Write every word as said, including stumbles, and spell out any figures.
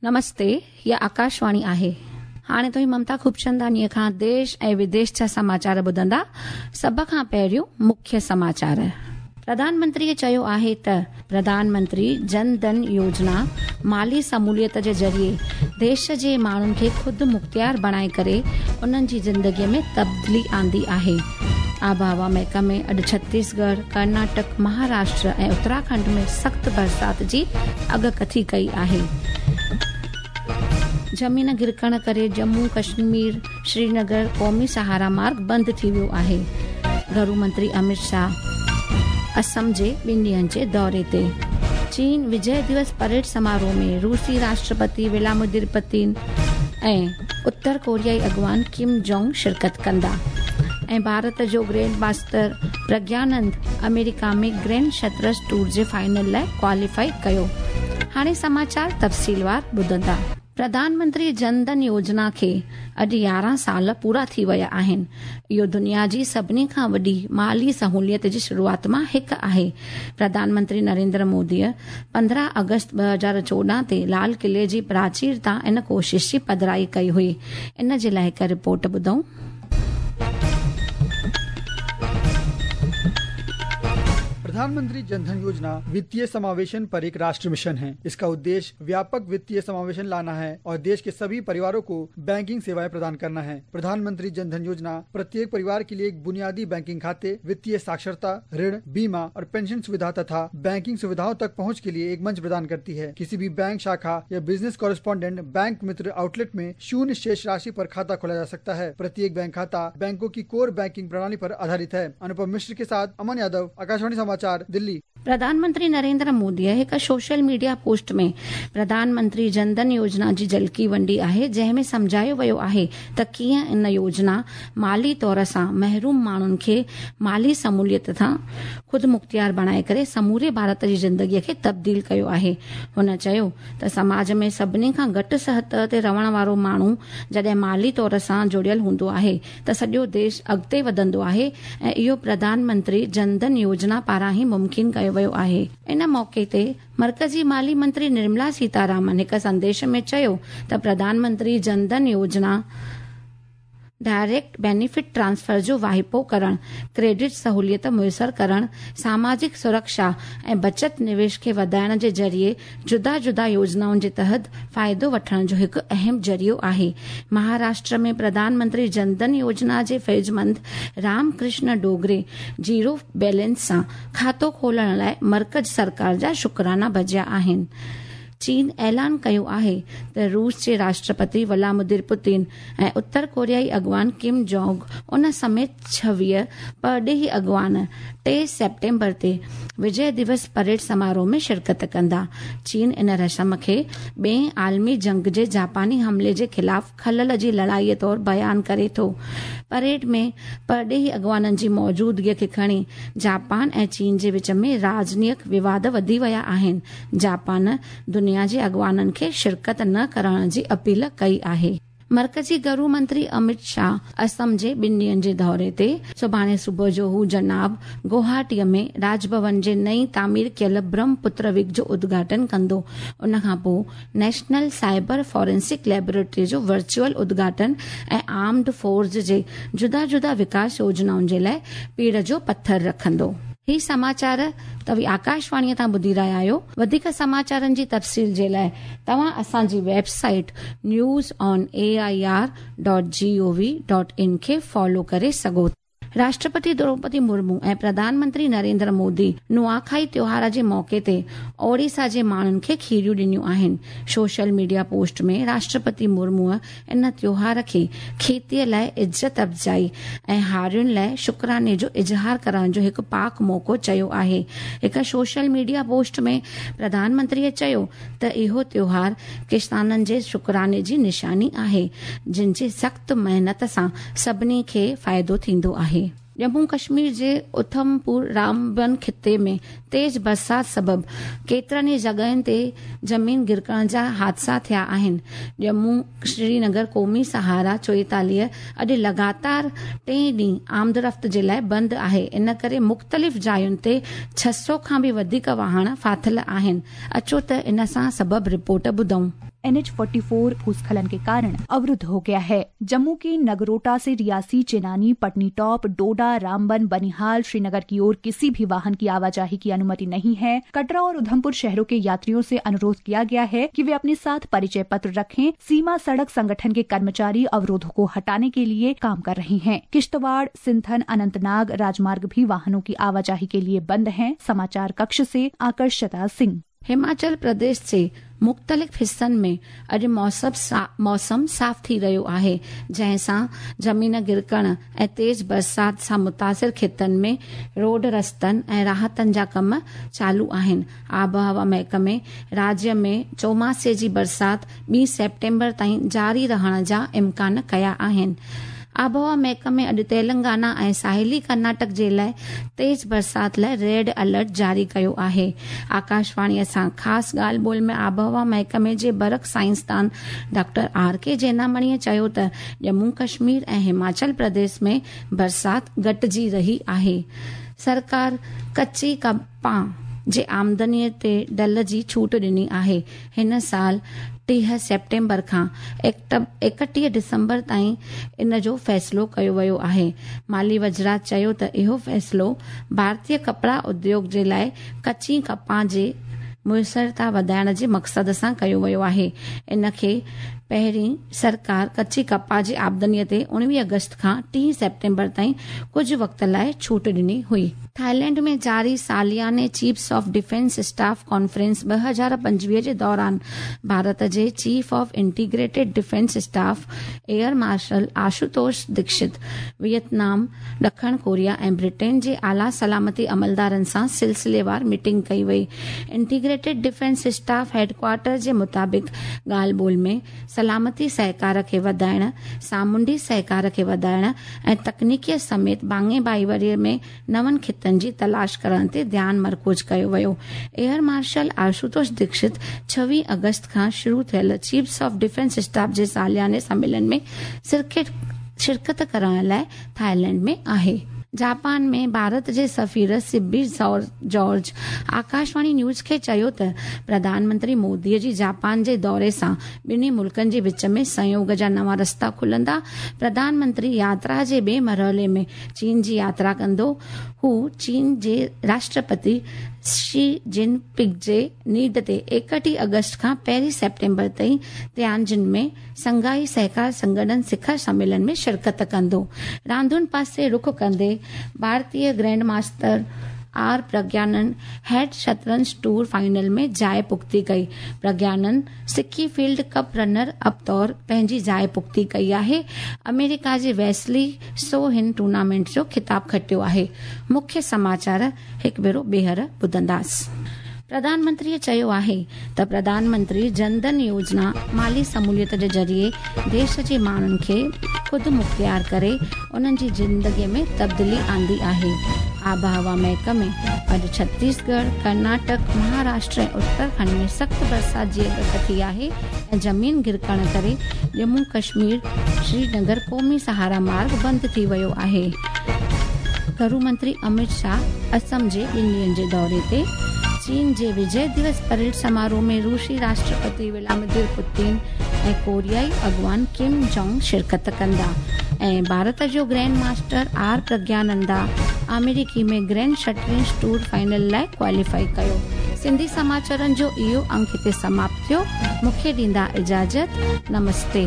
नमस्ते, हीअ आकाशवाणी आहे। हाणे तुव्हीं ममता खूबचंदानीअ खां देश ऐं विदेश जा समाचार ॿुधंदा। सभ खां पहिरियों मुख्य समाचार। प्रधानमंत्रीअ चयो आहे त प्रधानमंत्री जन धन योजना माली सहूलियत जे ज़रिए देश जे माण्हुनि खे ख़ुदि मुख़्तियार बणाए करे उन्हनि जी ज़िंदगीअ में तब्दीली आंदी आहे। आबहवा महकमे अॼु छत्तीसगढ़, कर्नाटक, महाराष्ट्र ऐं उत्तराखंड में सख़्तु बरसाति जी अॻकथी कई आहे। ज़मीन गिरकण करे जम्मू कश्मीर श्रीनगर क़ौमी सहारा मार्ग बंदि थी वियो आहे। घरू मंत्री अमित शाह असम जे ॿिनि ॾींहनि जे दौरे ते। चीन विजय दिवस परेड समारोह में रूसी राष्ट्रपति व्लादिमीर पुतिन ऐं उत्तर कोरियाई अॻवान किम जोंग शिरकत कंदा। ऐं भारत जो ग्रैंड मास्टर प्रज्ञानंद अमेरिका में ग्रैंड शतरंज टूर जे फाइनल लाइ क्वालीफाई कयो। हाणे समाचार तफ़सीलवार ॿुधंदा। प्रधानमंत्री जनधन योजना खे अॼु यारहं साल पूरा थी विया आहिनि। इहो दुनिया जी सभिनी खां वॾी माली सहूलियत जी शुरूआत मां हिकु आहे। प्रधानमंत्री नरेंद्र मोदीअ पंद्रहं अगस्त ॿ हज़ार चोॾहं ते लाल किले जी प्राचीर तां इन कोशिश जी पधराई कई हुई। इन जे लाइ हिकु रिपोर्ट ॿुधूं। प्रधानमंत्री जनधन योजना वित्तीय समावेशन पर एक राष्ट्र मिशन है। इसका उद्देश्य व्यापक वित्तीय समावेशन लाना है और देश के सभी परिवारों को बैंकिंग सेवाएं प्रदान करना है। प्रधानमंत्री जनधन योजना प्रत्येक परिवार के लिए एक बुनियादी बैंकिंग खाते, वित्तीय साक्षरता, ऋण, बीमा और पेंशन सुविधा तथा बैंकिंग सुविधाओं तक पहुँच के लिए एक मंच प्रदान करती है। किसी भी बैंक शाखा या बिजनेस कॉरेस्पॉन्डेंट बैंक मित्र आउटलेट में शून्य शेष राशि पर खाता खोला जा सकता है। प्रत्येक बैंक खाता बैंकों की कोर बैंकिंग प्रणाली पर आधारित है। अनुपम मिश्र के साथ अमन यादव, आकाशवाणी समाचार, दिल्ली। प्रधानमंत्री नरेंद्र मोदीअ हिकु सोशल मीडिया पोस्ट में प्रधानमंत्री जनधन योजना जी झलकी वंडी आहे, जंहिं में सम्झायो वियो आहे त कीअं इन योजना माली तौर सां महरूम माण्हुनि खे माली सहूलियत सां ख़ुदि मुख़्तियार बणाए करे समूरे भारत जी ज़िंदगीअ खे तब्दील कयो आहे। हुन चयो त समाज में सभिनी खां घटि सतह ते रहण वारो माण्हू जॾहिं माली तौर सां जुड़ियल हूंदो आहे त सॼो देश अॻिते वधंदो आहे ऐं इहो प्रधानमंत्री जनधन योजना पारां ई मुमकिन कयो वियो आहे। इन मौक़े ते मर्कज़ी माली मंत्री निर्मला सीतारामन हिकु संदेश में चयो त प्रधानमंत्री जनधन योजना डायरेक्ट बेनिफिट ट्रांसफर जो वाहिपो करण, क्रेडिट सहूलियत मुयसर करण, सामाजिक सुरक्षा ऐं बचत निवेश खे वधाइण जे ज़रिए जुदा जुदा योजनाउनि जे तहत फ़ाइदो वठण जो हिकु अहम ज़रियो आहे। महाराष्ट्र में प्रधानमंत्री जनधन योजना जे फैज़मंद रामकृष्ण डोगरे जीरो बैलेंस सां खातो खोलण लाइ मर्कज़ सरकार जा शुक्राना बजिया आहिनि। चीन ऐलान कयो आहे त रूस जे राष्ट्रपति व्लादिमीर पुतिन ऐं उत्तर कोरियाई अॻवान किम जोंग उन समेत छवीह परॾेही अॻवान टे सेप्टेम्बर ते विजय दिवस परेड समारोह में शिरकत कंदा। चीन इन रस्म खे ॿिए आलमी जंग जे जापानी हमले जे ख़िलाफ़ खलल जी लड़ाईअ तौर बयान करे थो। परेड में परॾेही अॻवाननि जी मौजूदगीअ खे खणी जापान ऐं चीन जे विच में राजनीतिक विवाद वधी विया आहिनि। जापान दुनिया जे अॻवाननि खे शिरकत न करण जी अपील कई आहे। मर्कज़ी घरू मंत्री अमित शाह असम जे ॿिनि ॾींहनि जे दौरे ते सुभाणे सुबुह जो हू जनाब गुवाहाटीअ में राजभवन जे नई तामीर कयल ब्रह्मपुत्र विग जो उद्घाटन कंदो। उन खां पोइ नेशनल साइबर फॉरेंसिक लैबोरेटरी जो वर्चुअल उद्घाटन ऐं आर्म्ड फोर्स जे जुदा जुदा विकास योजनाउनि जे लाइ पीड़ जो पथर रखंदो। ही समाचार तव्हीं आकाशवाणीअ तां ॿुधी रहिया आहियो। वधीक समाचारनि जी तफ़सील जे लाइ तव्हां असांजी website news on A I R dot G O V dot in खे फॉलो करे सघो। राष्ट्रपति द्रौपदी मुर्मू ऐं प्रधानमंत्री नरेंद्र मोदी नुआखाई त्योहार जे मौक़े ते ओडिशा जे माण्हुनि खे खीरियूं ॾिनियूं आहिनि। सोशल मीडिया पोस्ट में राष्ट्रपति मुर्मूअ इन त्योहार खे खेतीअ लाइ इज़त अफ़ज़ाई ऐं हारियुनि लाइ शुक्राने जो इज़हार करण जो हिकु पाक मौक़ो चयो आहे। हिकु सोशल मीडिया पोस्ट में प्रधानमंत्रीअ चयो त इहो त्योहार किसाननि जे शुक्राने जी निशानी आहे, जिन जी सख़्तु महिनत सां सभिनी खे फ़ाइदो थींदो आहे। जम्मू कश्मीर जे उधमपुर रामबन खिते में तेज़ बरसाति सबबु केतिरनि ई जॻहियुनि ते ज़मीन गिरकण जा हादसा थिया आहिनि। जम्मू श्रीनगर क़ौमी सहारा चोएतालीह अॼु लगातार टे ॾींहुं आमदरफ़्त जे लाइ बंदि आहे। इन करे मुख़्तलिफ़ जायुनि ते छह सौ खां बि वधीक वाहन फाथिल आहिनि। अचो त इन सां सबबु रिपोर्ट ॿुधूं। एन एच चौवालीस भूस्खलन के कारण अवरुद्ध हो गया है। जम्मू के नगरोटा से रियासी, चेनानी, पटनी टॉप, डोडा, रामबन, बनिहाल, श्रीनगर की ओर किसी भी वाहन की आवाजाही की अनुमति नहीं है। कटरा और उधमपुर शहरों के यात्रियों से अनुरोध किया गया है कि वे अपने साथ परिचय पत्र रखें। सीमा सड़क संगठन के कर्मचारी अवरोधों को हटाने के लिए काम कर रहे हैं। किश्तवाड़, सिंथन, अनंतनाग राजमार्ग भी वाहनों की आवाजाही के लिए बंद हैं। समाचार कक्ष से आकर्षता सिंह। हिमाचल प्रदेश जे मुख़्तलिफ़ हिसनि में अॼु मौसम सा, मौसम साफ़ थी रहियो आहे, जंहिंसां ज़मीन गिरकण ऐं तेज़ बरसात सां मुतासिर ख़ितनि में रोड रस्तनि ऐं राहतनि जा कम चालू आहिनि। आबहवा महकमे राज्य में चौमासे जी बरसात ॿी सेप्टेम्बर ताईं जारी रहण जा इम्कान कया आहिनि। आबहवा महकमे अॼु तेलंगाना ऐं साहिली कर्नाटक जे लाइ तेज़ बरसात लाइ रेड अलर्ट जारी कयो आहे। आकाशवाणीअ सां ख़ासि ॻाल्हि ॿोल में आबहवा महकमे जे बरक़ साइंसदान डॉक्टर आर के जैनामणीअ चयो त जम्मू कश्मीर ऐं हिमाचल प्रदेश में बरसात घटिजी रही आहे। सरकार कच्ची कपाह जे आमदनीअ ते डल जी छूट ॾिनी आहे। हिन साल टीह सेप्टेम्बर खां एकटीह दिसंबर ताईं इन जो फ़ैसिलो कयो वियो आहे। माली वज़रात चयो त इहो फ़ैसिलो भारतीय कपड़ा उद्योग जे लाइ कच्ची कपाह जे मुयसरता वधाइण जे मक़सद सां कयो वियो आहे। इन खे पहिरीं सरकार कच्ची कपाह जी आमदनीअ ते उणिवीह अगस्त खां टीह सेप्टेम्बर ताईं कुझु वक़्त लाइ छूट ॾिनी हुई। थाईलैंड में जारी सालियाने chiefs of defence staff conference ॿ हज़ार पंजवीह जे दौरान भारत जे chief of integrated defence staff air marshal Ashutosh Dikshit Vietnam, ॾखण कोरिया ऐं ब्रिटेन जे आला सलामती अमलदारनि सां सिलसिलेवार मीटिंग कई वई। इंटीग्रेटेड डिफेंस स्टाफ हेडक्वार्टर जे मुताबिक़ ॻाल्हि ॿोल में सलामती सहकार खे वधाइण, सामुंडी सहकार खे वधाइण ऐं तकनीकीअ समेत भाङे भाईवारी में नवनि ख़ितनि जी तलाश करण ते ध्यानु मरकूज़ कयो वियो। एयर मार्शल आशुतोष दीक्षित छवीह अगस्त खां शुरू थियल चीफ्स ऑफ डिफेंस स्टाफ जे सालियाने सम्मेलन में शिरकत करण लाइ थाईलैंड में आहे। जापान में भारत जे सफ़ीर सिबी जॉर्ज आकाशवाणी न्यूज़ खे चयो त प्रधानमंत्री मोदीअ जी जापान जे दौरे सां ॿिन्ही मुल्कनि जे विच में सहयोग जा नवां रस्ता खुलंदा। प्रधानमंत्री यात्रा जे ॿिए मरहले में चीन जी यात्रा कंदो। हू चीन जे राष्ट्रपति शी जिनपिंग जे नीड ते एकटीह अगस्त खां पहिरीं सेप्टेम्बर ताईं तियानजिन में संघाई सहकार संगठन शिखर सम्मेलन में शिरकत कंदो। रांदुनि पासे रुख कंदे भारतीय grand master R Praggnanandhaa head शतरंज टूर फाइनल में जाइ पुख्ती कई। Praggnanandhaa Sinquefield cup runner up तौर पंहिंजी जाइ पुख्ती कई आहे। अमेरिका जे वेस्ली सो हिन टूर्नामेंट जो ख़िताब खटियो आहे। मुख्य समाचार हिकु भेरो ॿीहर ॿुधंदासीं। प्रधानमंत्रीअ चयो आहे त प्रधानमंत्री जनधन योजना माली सहूलियत जे ज़रिए देश जे माण्हुनि खे ख़ुदि मुख़्तियार करे उन्हनि जी ज़िंदगीअ में तब्दीली आंदी आहे। आबहवा महकमे अॼु छत्तीसगढ़, कर्नाटक, महाराष्ट्र ऐं उत्तराखंड में सख़्तु बरसात जी अॻकथी आहे ऐं ज़मीन गिरकण करे जम्मू कश्मीर श्रीनगर क़ौमी सहारा मार्ग बंदि थी वियो आहे। घरू मंत्री अमित शाह असम जे ॿिनि ॾींहंनि जे दौरे ते। चीन जे विजय दिवस परेड समारोह में रूसी राष्ट्रपति व्लादिमीर पुतिन ऐं कोरियाई अॻवान किम जोंग शिरकत कंदा। ऐं भारत जो ग्रैंड मास्टर आर प्रज्ञानंदा अमेरिकी में ग्रैंड शतरंज टूर फाइनल लाइ क्वालीफाई कयो। सिंधी समाचारनि जो इहो अंक हिते समाप्त थियो। मूंखे ॾींदा इजाज़त। नमस्ते।